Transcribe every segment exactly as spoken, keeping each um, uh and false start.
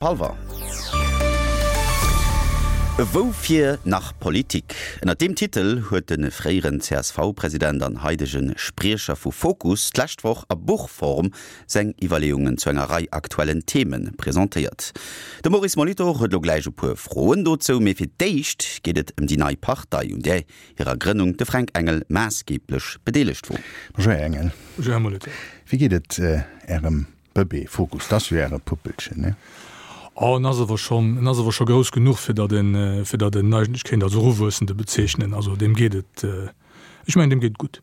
Hallwer. Woufir nach Politik? Ënnert deem Titel huet de fréieren C S V-President an haidege Spriecher vu Fokus d'lescht Woch a Buchform seng Iwwerleeungen zu enger Rei aktuellen Theme presentéiert. De Maurice Molitor huet lo gläich e puer Froen dozou, mee fir d'éischt geet et ëm déi nei Partei, un där hirer Grënnung de Fränk Engel maassgeeblech bedeelegt wor. Bonjour, Här Engel. Bonjour, Här Molitor. Wéi geet et Ärem Bëbee Fokus? Dat ass jo Äre Puppelchen, ne? Oh, en ass awer schonn, en ass awer scho grouss genuch, fir datt en, fir datt en eigentlech kéint als Eruwuessende bezeechnen. Also deem geet et, ech mengen, deem geet et gutt.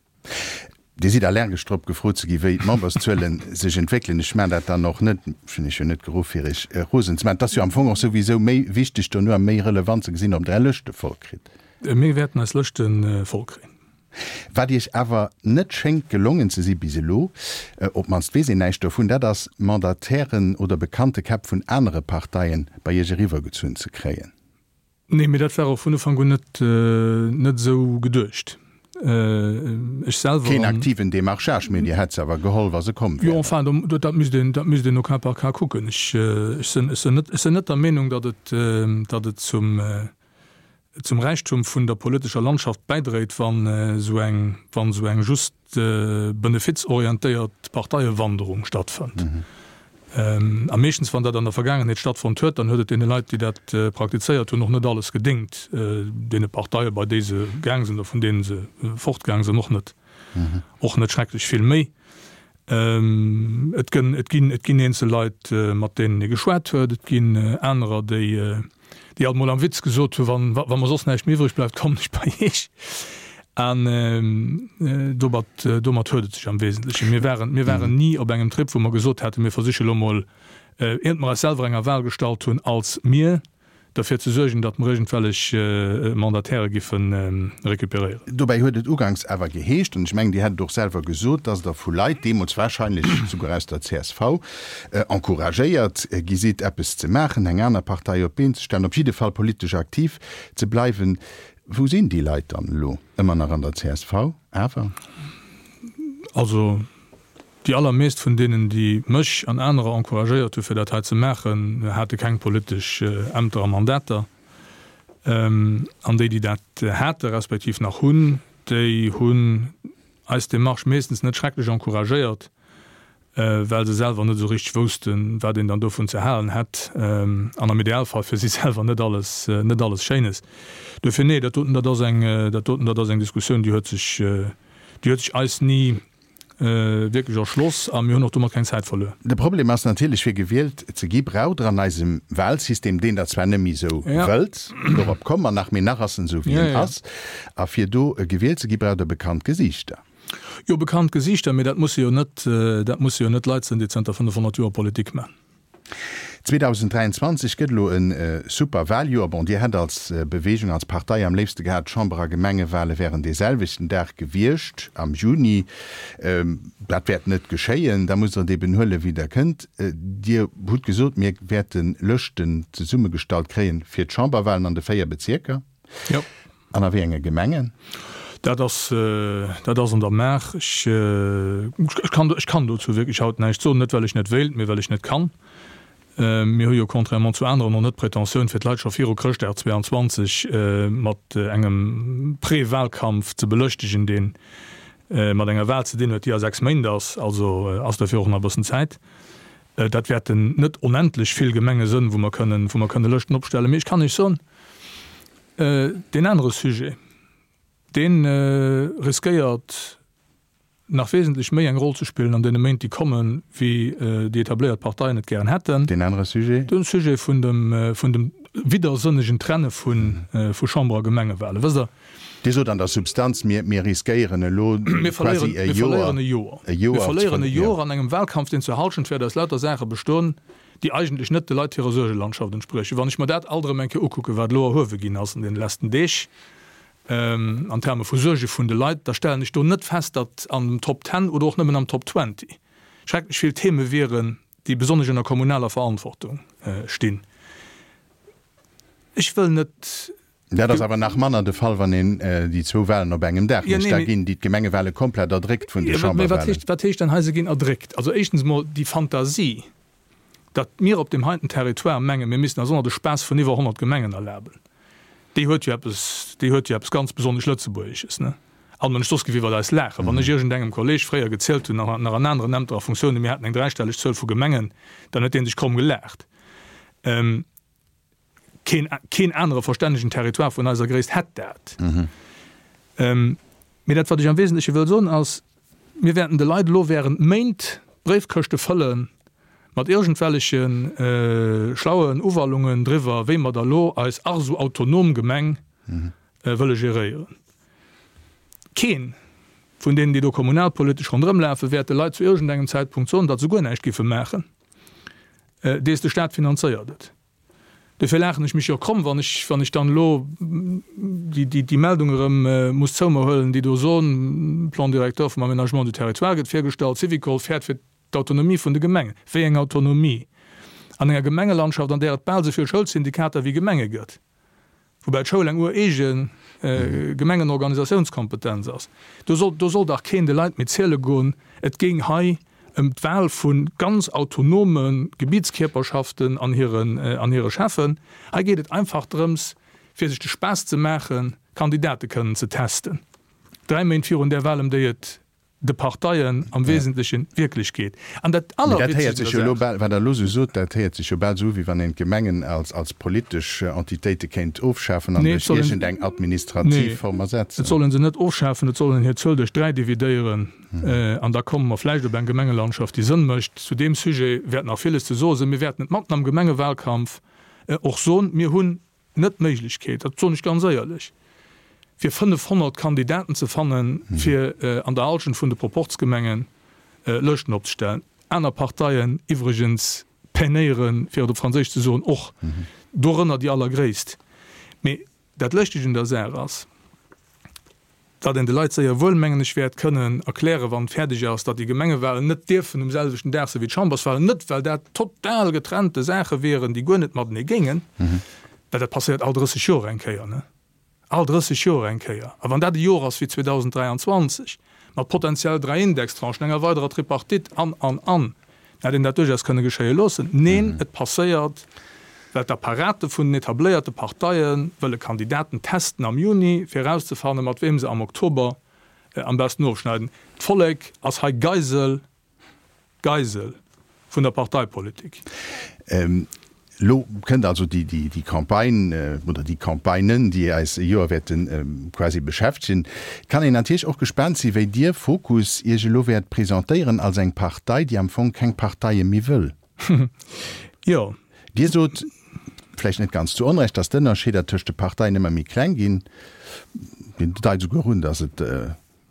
Dir sidd allergesch drop, gefrot ze gi wéi d'Memberszuelen sech entwéckelen. Ech maachen dat dann och net, ech hunn Iech jo net geruff, fir Iech rosen ze maachen. Et ass jo am Fong och souwisou méi wichteg dono a méi relevant ze gesinn, ob Der Är Lëschte voll kritt. Mir wäerten eis Lëschte voll kréien. Wat Iech awer net schéngt gelongen ze si bis elo, op d'mannst weess een näischt dovun, dat ass Mandatairen oder bekannte Käpp vun anere Parteien bei Iech eriwwergezunn ze kréien. Nee, mee dat war och vun Ufank un net net esou geduecht. Ech selwer. Keen aktiven Demarchage, mee Dir hätt se awer geholl, wa se komm wären. Jo, enfin, dat misst een, dat misst een au cas par cas kucken. Ech sinn, ech sinn net, ech sinn net der Meenung, datt et, datt et zum, zum Räichtum vun der politescher Landschaft bäidréit, wann esou eng, wann esou eng just benefizorientéiert Parteiewanderung stattfënnt. A meeschtens, wann dat an der Vergaangenheet stattfonnt huet, dann huet et deene Leit, déi dat praktizéiert hunn, och net alles gedéngt, deene Parteie bei déi se gaang sinn oder vun deene se fortgaang sinn, och net, och net schrecklech vill méi. Et gënn, et ginn, et ginn eenzel Leit, mat deenen ee geschwat huet. Et ginn anerer, déi, déi alt mol am Witz gesot hunn, Wann, wa mer soss näischt méi iwwreg bleift, kommen ech bei Iech. An domat, domat huet et sech am Wesentlechen. Mir waren, mir waren ni op engem Trip, wou mer gesot hätten, mir versiche lo mol, iert mer eis selwer enger Wahl gestallt hunn, als mir, derfir ze suergen, datt mer iergendwellech Mandataire giffe recuperéieren. Dobäi huet et uganks awer geheescht, an ech mengen, Dir hätt et och selwer gesot, datt Der vu Leit, deemools wahrscheinlech souguer aus der C S V, encouragéiert gi sidd, eppes ze maachen, eng aner Partei op d'Been ze stellen, op jidde Fall politesch aktiv ze bleiwen. Wou sinn déi Leit dann elo? Ëmmer nach an der C S V awer? Also, Déi allermeescht vun deenen, déi mech an anerer encouragéiert hu fir dat hei ze maachen, hate keng politesch Ämter a Mandater. An déi, déi dat hate respektiv nach hunn, déi hunn eis Demarche meeschtens net schrecklech encouragéiert, well se selwer net esou richteg woussten, wat een dann dovun ze halen hätt, an am Idealfall fir si selwer net alles, net alles Schéines. Duerfir, nee, dat doten, dat ass eng, dat doten, dat ass eng Diskussioun, déi huet sech, déi huet sech eis ni wierklech erschloss a mir hunn och domat keng Zäit verluer. De Problem ass natierlech, fir gewielt ze gi braucht Der an eisem Wahlsystem, deen Der zwar net méi esou wëllt, dorop komme mer nach, mee nach ass en esou wéi en ass, a fir do gewielt ze gi braucht Der bekannt Gesiichter. Jo, bekannt Gesiichter, mee dat musse jo net, dat musse jo net Leit sinn, déi zënter fënnefhonnert Joer Politik man. zweedausenddräianzwanzeg gëtt elo e super Wahljoer. Bon, Dir hätt als Bewegung, als Partei am léifste gehat, d'Chamber a Gemengewale wären dee selwechten Dag gewiescht, am Juni. Dat wäert net geschéien. Da musst Der et eben huelen, wéi Der kënnt. Dir hutt gesot, mir wäerte Lëschten zesummegestallt kréien fir d'Chamberwalen an de véier Bezierker. Jo. An a wéi enge Gemengen? Dat ass, dat ass an der Maach. Ech, ech kann, ech kann dozou wierklech haut näischt soen, net well ech net wéilt, mee well ech net kann. Mir hu jo contrairement zu aneren och net d'Pretentioun, fir d'Leit scho viru Chrëschtdag zweeanzwanzeg mat engem Pré-Wahlkampf ze belëschtegen, dee mat enger Wahl ze dinn huet, déi a sechs Méint ass. Also ass dofir och nach e bëssen Zäit. Dat wäerten net onendlech vill Gemenge sënn, wou mer kënnen, wou mer kënne Lëschten opstellen. Mee ech kann Iech soen, deen anere Sujet, dee riskéiert nach wesentlech méi eng Roll ze spillen an deene Méint, déi kommen, wéi déi etabléiert Parteien et gären hätten. Deen anere Sujet? De Sujet vun dem, vun dem widdersënnegen Trenne vu, vu Chamber a Gemengewahlen. Wësst Der. Dir sot an der Substanz, mir, mir riskéieren elo quasi e Joer, e Joer, e Joer. Mir verléieren e Joer an engem Wahlkampf, deen zur Halschent wäert aus lauter Saache bestoen, déi eigentlech net de Leit hirer Suergelandschaft entspriechen. Wann ech mer dat alt erëm eng Kéier ukucken, wat elo erhuewe ginn ass an deene letzten Deeg an Terme vu Suerge vun de Leit, da stellen ech do net fest, datt an den Top Ten oder och nëmmen am Top Twenty schrecklech vill Theme wieren, déi besonnesch ënner kommunaler Verantwortung stinn. Ech wëll net. Dat ass awer nach manner de Fall, wann een déi zwou Wahlen op engem Dag mécht. Da ginn déi d'Gemengewale komplett erdréckt vun de Chamberwahlen. Wat heescht, wat heescht dann hei, se ginn erdréckt? Also éischtens emol déi Fantasie, Datt mir op deem heiten Territoire mengen, mir missten eis och nach de Spaass vun iwwer honnert Gemengen erlaben, déi huet jo eppes, déi huet jo eppes ganz besonnesch Lëtzebuergesches, ne? All Mënsch soss géif iwwert eis laachen. Wann ech iergendengem Kolleg fréier gezielt hunn, nach an aneren Ämter a Funktiounen, mir hätten eng dräistelleg Zuel vu Gemengen, dann huet dee sech kromm gelaacht. Keen, keen anere verstännegen Territoire vun eiser Gréisst hätt dat. Mee dat, wat ech am Wesentleche wëll soen, ass, Mir wäerten de Leit elo während Méint d'Bréifkëschte fëlle mat iergendwelleche schlauen Uwallungen driwwer, wéi mer da lo eis ach esou autonom Gemeng wëlle geréieren. Keen vun deenen, déi do kommunalpolitesch ronderëmlafen, wäert de Leit zu iergendengem Zäitpunkt soen, datt se guer näischt giffe maachen, dees de Staat finanzéiert et. Dofir laachen ech mech jo kromm, wann ech, wann ech dann elo déi, déi, déi Meldung erëm muss zou mer huelen, déi do soen, Plan directeur vum Aménagement du territoire gëtt virgestallt, Syvicol fäert fir d'Autonomie vun de Gemengen. Wéi eng Autonomie? An enger Gemengelandschaft, an där et bal esou vill Schoulsyndikater wéi Gemenge gëtt, woubäi d'Schoul eng ureege Gemengenorganisatiounskompetenz ass, do soll, do soll dach keen de Leit méi ziele goen, et géing hei ëm d'Wahl vu ganz autonome Gebietskierperschaften an hiren, an hire Cheffen. Hei geet et einfach drëms, fir sech de Spaass ze maachen, Kandidate kënnen ze testen, dräi Méint virun där Wahl, ëm déi et de Parteien am Wesentlechen wierklech geet. An dat Mee dat héiert sech jo elo bal, wat Der elo esou sot, dat héiert sech jo bal esou u, wéi wann een d'Gemengen als, als politesch Entitéite kéint ofschafen an Nee, et duerch soll een, iergendeng administrativ nee, Form et ersetzen. soll ee se net ofschafen, et soll een hir Zuel duerch dräi dividéieren an da komme mer vläicht op eng Gemengelandschaft, déi Sënn mécht. Zu deem Sujet wäert nach villes ze soe sinn. Mir wäerten et matten am Gemengewahlkampf och soen, Mir hunn net d'Méiglechkeet, dat soen ech ganz éierlech, fir fënnefhonnert Kandidaten ze fannen, fir an der Halschent vun de Proporzgemengen Lëschten opzestellen. Aner Parteien iwwregens peinéieren, fir et op Franséisch ze soen, och, dorënner déi allergréisst. Mee dat Lëschtegt un der Saach ass, datt een de Leit séier wuel, mengen ech, wäert kënnen erklären, wann et fäerdeg ass, datt déi Gemengewahlen net dierfen um selwechten Dag sinn wéi d'Chamberswahlen, net well dat total getrennte Saache wieren, déi guer net matenee géingen, well dat passéiert all drësseg Joer eng Kéier, ne? All drësseg Joer eng Kéier. A wann dat e Joer ass wéi zweedausend dräianzwanzeg mat potenziell dräi Indextranchen, enger weiderer Tripartite an, an, an, da hätt een dat duerchaus kënne geschéie loossen. Neen, et passéiert, well d'Apparate vun den etabléierte Parteie wëlle Kandidaten testen am Juni, fir erauszefannen, mat weem se am Oktober am besten ofschneiden. D'Vollek ass hei Geisel, Geisel vun der Parteipolitik. Elo kënnt also déi Campagne oder déi Campagnen, déi eis e Joer wäerte quasi beschäftegen. Et kann een natierlech och gespaant sinn, wéi Dir, Fokus, Iech elo wäert presentéieren als eng Partei, déi am Fong keng Parteie méi wëll. Jo. Dir sot, vläicht net ganz zu Onrecht, datt d'Ënnerscheeder tëscht de Parteien ëmmer méi kleng ginn. Dir deit esouguer un, datt et,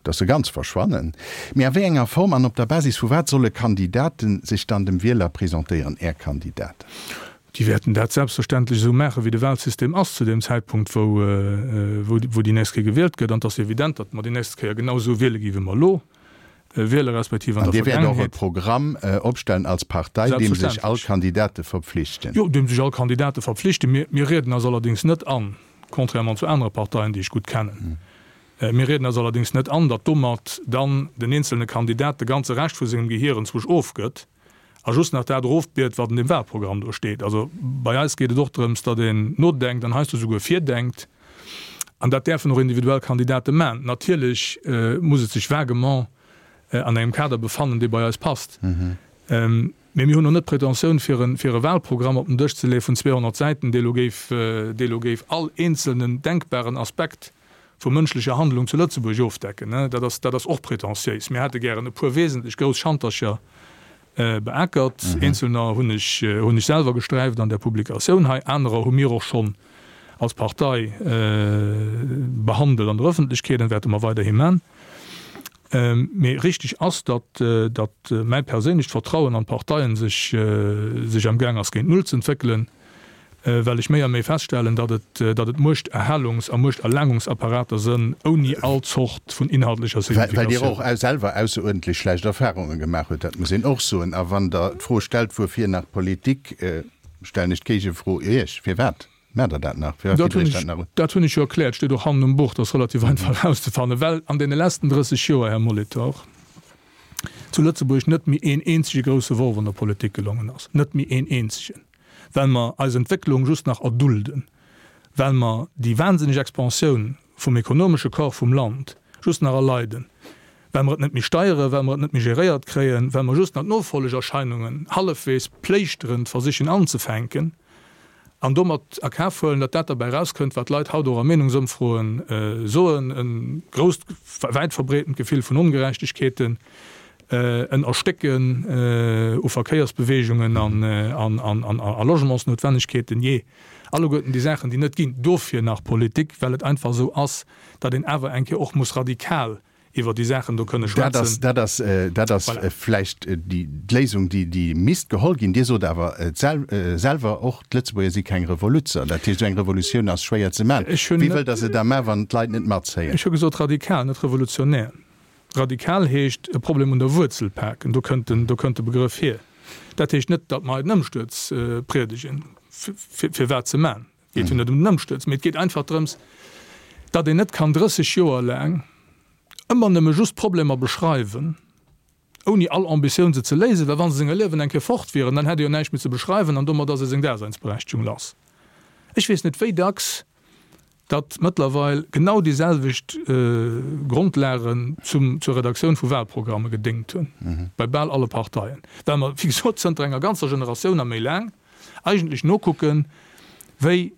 datt se ganz verschwannen. Mee a wéi enger Form an op der Basis vu wat solle Kandidaten sech dann dem Wieler presentéieren, Är Kandidaten? Déi wäerten dat selbstverständlech esou maachen, wéi de Wahlsystem ass zu deem Zäitpunkt, wou, wou déi nächst Kéier gewielt gëtt. An et ass evident, datt mer déi nächst Kéier genau esou wiele gi wéi mer elo wiele respektiv an An der Dir wäert och e Vergaangenheet. Programm opstellen als Partei, deem sech all Selbstverständlech. Kandidate verpflichten? Jo, deem sech all Kandidate verpflichten. Mir, mir rieden eis allerdéngs net an, contrairement zu anere Parteien, déi ech gutt kennen, mir rieden eis allerdéngs net an, datt domat dann den eenzelne Kandidat de ganze Rescht vu sengem Gehier enzwousch ofgëtt a just nach dat erofbiet, wat an deem Wahlprogramm do steet. Also bei eis geet et och drëms, datt een nodenkt an heiansdo souguer virdenkt. An dat däerfen och individuell Kandidate man. Natierlech muss et sech vaguement an engem Kader befannen, dee bei eis passt. Mee mir hunn och net d'Pretentioun, fir e fir e Wahlprogramm op den Dësch ze leeë vun zweehonnert Säiten, dee lo géif, dee lo géif all eenzelnen denkbaren Aspekt vu mënschlecher Handlung zu Lëtzebuerg ofdecken. Dat ass, dat ass och pretentiéis. Mir hätte gären e puer wesentlech grouss Schantercher beackert. Eenzelner hunn ech, hunn ech selwer gesträift an der Publikatioun hei, anerer hu mir och schonn als Partei behandelt an der Öffentlechkeet an wäerte mer weiderhi man. Mee richtig ass, datt, datt mäi perséinlecht Vertrauen an d'Parteien sech, sech amgaang ass géint Null ze entwéckelen, well ech méi a méi feststellen, datt et, datt et Muechterhalungs a Muechterlaangungsapparater sënn ouni all Zort vun inhaltlecher Well Dir och Signifikatioun. selwer ausseruerdentlech schlecht Erfahrunge gemaach hutt, dat muss een och soen. A wann Der d'Fro stellt, wuerfir nach Politik, stellen ech d'Géigefro Iech, Firwat maacht Der dat nach? Firwat Dat gitt Der hunn Iech ech, dat nach un? dat hunn ech jo erkläert, steet och hannen um Buch, dat ass relativ einfach erauszefannen, well an deene letzten drësseg Joer, Här Molitor, zu Lëtzebuerg net méi een eenzege grousse Worf an der Politik gelongen ass, net méi een eenzegen, well mer eis Entwécklung just nach erdulden, well mer déi wahnsinneg Expansioun vum ekonomesche Corps vum Land just nach erleiden, well mer et net méi steieren, well mer et net méi geréiert kréien, well mer just nach d'Nofollegerscheinungen hallefwegs pléischterend versichen anzefänken an domat a Kaf huelen, datt dat derbäi erauskënnt, wat d'Leit haut och a Meenungsëmfroen soen, e grousst, wäit verbreetent Gefill vun Ongerechtegkeeten, en Erstécken u Verkéiersbeweegungen a Logementsnoutwennegkeeten, jee, alleguerten déi Saachen, déi net ginn. Dofir nach Politik, well et einfach esou ass, datt een awer eng Kéier och muss radikal iwwer déi Saachen do kënne schwätzen. Dat ass, dat ass vläicht d'Léisung, déi misst geholl ginn. Dir sot awer selwer och, d'Lëtzebuerger si keng Revoluzzer. Dat heescht, esou eng Revolutioun ass schwéier ze maachen. Wéi wëllt Der se da maachen, wann d'Leit net matzéien? Ech hu gesot radikal, net revolutionär. Radikal heescht e Problem un der Wuerzel paken, do kënnt den, do kënnt de Begrëff hier. Dat heescht net, datt mer hei den Ëmstuerz priedegen, fir wat ze man. Et geet jo net ëm den Ëmstuerz, mee et geet einfach drëms, datt een net kann drësseg Joer laang ëmmer nëmme just Problemer beschreiwen, ouni all Ambitioun se ze léisen, well wa se senger Liewen eng Kéier fort wieren, dann hätt ee jo näischt méi ze beschreiwen an domat ass ee seng Daseinsberechtigung lass. Ech weess net, wéi dacks datt mëttlerweil genau déi selwecht Grondlagen zum, zur Redaktioun vu Wahlprogramme gedéngt hunn, bei bal alle Parteien, well mer, wéi gesot, zënter enger ganzer Generatioun a méi laang eigentlech nokucken, wéi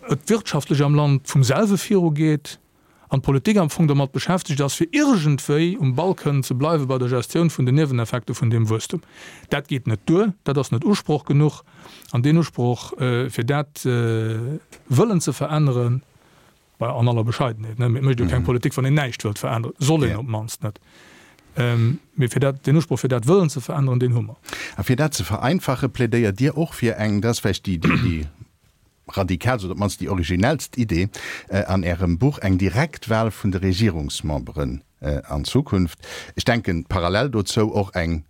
et wirtschaftlech am Land vum selwe virugeet an d'Politik am Fong domat beschäftegt ass, fir iergendwéi um Ball kënnen ze bleiwe bei der Gestioun vun den Nieweneffekte vun deem Wuesstum. Dat geet net duer, dat ass net Usproch genuch. An deen Usproch, fir dat wëllen ze veränneren, bei an aller Bescheidenheet, ne, mee et mécht jo keng Politik, wann een näischt wëllt veränneren, soll een op d'mannst net, mee fir dat, deen Usproch, fir dat wëllen ze veränneren, deen hu mer. A fir dat ze vereinfachen, plädéiert Dir och fir eng, dat ass vläicht déi, déi radikaalst oder op d'mannst déi originellst Idee an Ärem Buch, eng Direktwahl vun de Regierungsmemberen an Zukunft. Ech denken parallel dozou och eng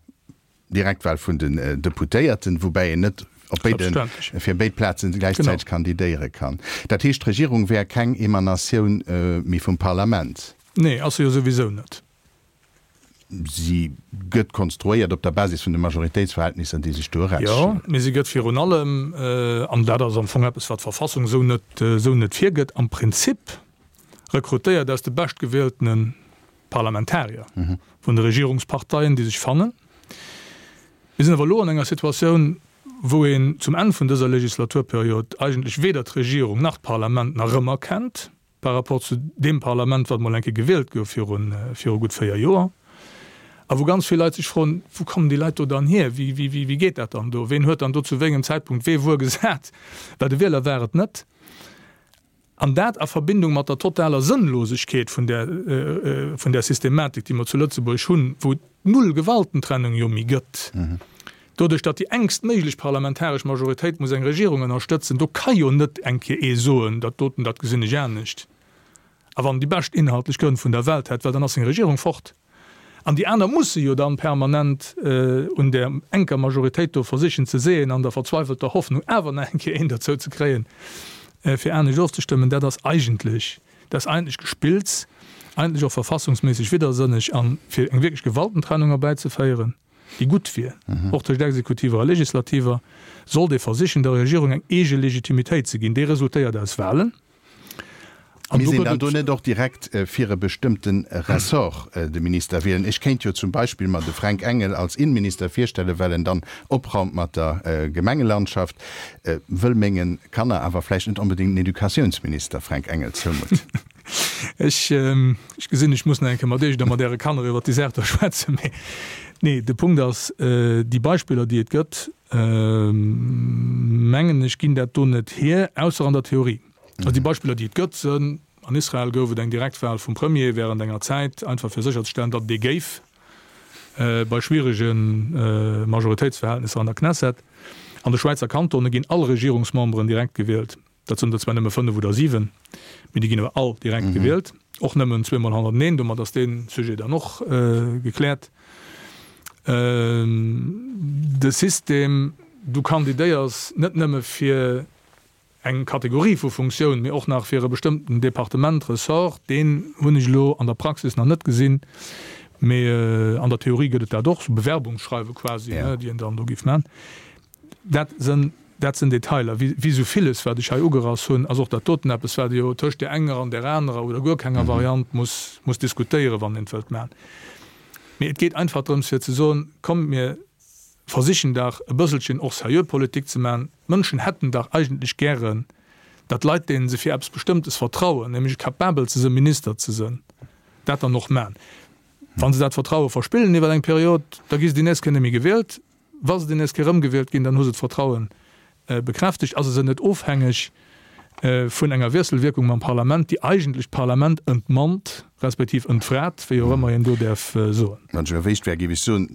Direktwahl vun den Deputéierten, woubäi een net op béide, fir béid Plazen gläichzäiteg kandidéiere kann. Dat heescht, d'Regierung wär keng Emanatioun méi vum Parlament? Nee, ass se jo souwisou net. Si gëtt konstruéiert op der Basis vun de Majoritéitsverhältnisser, déi sech do erausstellen. Jo, mee si gëtt virun allem, an dat ass am Fong eppes, wat d'Verfassung esou net, esou net virgëtt, am Prinzip rekrutéiert aus de beschtgewieltene Parlamentarier vun de Regierungsparteien, déi sech fannen. Mir sinn awer elo an enger Situatioun, wou een zum Enn vun dëser Legislaturperiod eigentlech weder d'Regierung nach d'Parlament nach erëmerkennt par rapport zu deem Parlament, wat mol eng Kéier gewielt gouf viru viru gutt véier Joer, a wou ganz vill Leit sech froen, Wou kommen déi Leit do dann hier? Wéi, wéi, wéi, wéi geet dat dann do? Ween huet dann do zu wéi engem Zäitpunkt wee wuer gesat? Well de Wieler war et net. An dat a Verbindung mat der totaler Sënnlosegkeet vun där, vun där Systematik, déi mer zu Lëtzebuerg hunn, wou et null Gewaltentrennung jo méi gëtt, doduerch datt déi engst méiglech parlamentaresch Majoritéit muss eng Regierung ënnerstëtzen, do ka jo net eng Kéier ee soen, dat doten, dat gesinn ech anescht, a wann en déi bescht inhaltlech Grënn vun der Welt hätt, well dann ass seng Regierung fort. An déi aner musse jo dann permanent un där enker Majoritéit do versichen ze seeën, an der verzweifelter Hoffnung awer nach eng Kéier een derzou ze kréien, fir anescht ofzestëmmen. Dat ass eigentlech, dat ass eigentlech Gespills, eigentlech och verfassungsméisseg widdersënneg. A fir eng wierklech Gewaltentrennung erbäizeféieren, déi gutt wier, och tëscht Exekutiver a Legislativer, sollt ee versichen, der Regierung eng eege Legitimitéit ze ginn. Déi resultéiert aus Wahlen. An do Misst een gëtt dann do et. net och direkt fir e bestëmmte Ressort de Minister wielen? Ech kéint jo zum Beispill mer de Fränk Engel als Innenminister virstellen, well en dann opraumt mat der Gemengelandschaft, wëll menge Kanner awer vläicht net onbedéngt den Educatiounsminister Fränk Engel zoumutten. Ech gesinn, ech muss nach eng Kéier mat Iech oder mat Äre Kanner iwwert déi Saach do schwätzen. Mee nee, de Punkt ass, déi Beispiller, déi et gëtt, mengen ech, ginn dat do net hier, ausser an der Theorie. Also déi Beispiller, déi et gëtt, sënn, An Israel gouf et eng Direktwahl vum Premier während enger Zäit, einfach fir sécherzestellen, datt et ee géif bei schwierege Majoritéitsverhältnisser an der Knesset. An de Schwäizer Kantone ginn all Regierungsmemberen direkt gewielt. Dat sënn der zwar nëmme fënnef oder siwen, mee déi ginn awer all direkt gewielt, och nëmmen zweemol hannerteneen. Domat ass dee Sujet dann och gekläert. De System, du kandidéiers net nëmme fir eng Kategorie vu Funktioun, mee och nach fir e bestëmmten Departement, Ressort, deen hunn ech elo an der Praxis nach net gesinn. Mee an der Theorie gëtt et dat och, sou Bewerbungsschreiwe quasi, déi een dann do géif man. Dat sënn, dat sënn Detailer. Wéi, wéi sou villes, wat ech hei ugerass hunn, ass och dat doten eppes, wat ee jo tëscht där enger an där anerer oder guer kenger Variant muss, muss diskutéieren, wann een et wëllt man. Mee et geet einfach drëms, fir ze soen, Kommt, mir versichen dach e bësselchen och seriö Politik ze man. D'Mënschen hätten dach eigentlech gären, datt Leit, deene se fir eppes Bestëmmtes vertrauen, nämlech capabel ze sënn, Minister ze sënn, dat dann och man. Wa se dat Vertraue verspillen iwwer eng Period, da gi se déi nächst Kéier net méi gewielt. Wa se déi nächst Kéier erëmgewielt ginn, dann hu se d'Vertraue bekräftegt. A se sënn net ofhängeg vun enger Wiesselwierkung mam Parlament, déi eigentlech d'Parlament entmannt, respektiv entfrat, wéi och ëmmer een do däerf soen. Wann ech erwéicht wär, géif ech soen,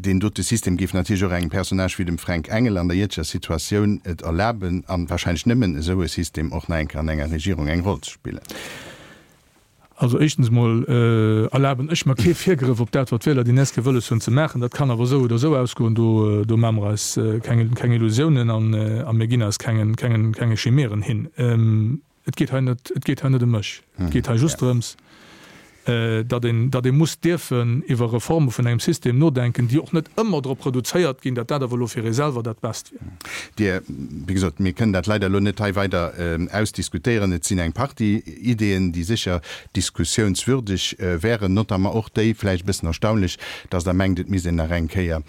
deen dote System géif natierlech och engem Personnage wéi dem Fränk Engel an der jëtzeger Situatioun et erlaben, a wahrscheinlech nëmmen esou e System, och nach eng Kéier an enger Regierung eng Roll ze spillen. Also éischtens emol erlaben ech mer kee Virgrëff op dat, wat d'Wieler déi nächst Kéier wëlles hunn ze maachen. Dat kann awer esou oder esou ausgoen. Do, do maache mer eis keng, keng Illusiounen an, a mir ginn eis kengen, kengen, kenge Chimären hin. Et geet hei net, et geet hei net ëm mech. Et geet hei just drëms, datt een, datt ee muss dierfen iwwer Reforme vun engem System nodenken, déi och net ëmmer drop reduzéiert ginn, datt dat awer elo fir ee selwer dat Best wier. Dir, wéi gesot, mir kënnen dat leider elo net hei weider ausdiskutéieren. Et sinn eng Partie Ideeën, déi sécher diskussiounswürdeg wären, notamment och déi, vläicht e bëssen erstaunlech, datt Der mengt, et misst een nach eng Kéier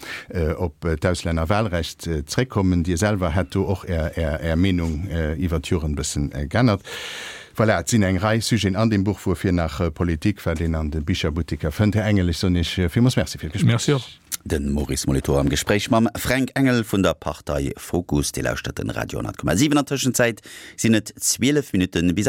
op d'Auslännerwahlrecht zréckkommen. Dir selwer hätt do och Är, Är Meenung iwwert d'Joren e bëssen geännert. Voilà, et sinn eng Rei Sujeten an deem Buch Wuerfir nach Politik, wat een an de Bicherbutteker fënnt. Här Engel, ech soen Iech villmools Merci fir d'Gespréich. Merci och. De Maurice Molitor am Gespréich mam Fränk Engel vun der Partei Fokus. Dir lauschtert den Radio honnert Komma siwen. An Tëschenzäit sinn et zwielef Minutte bis.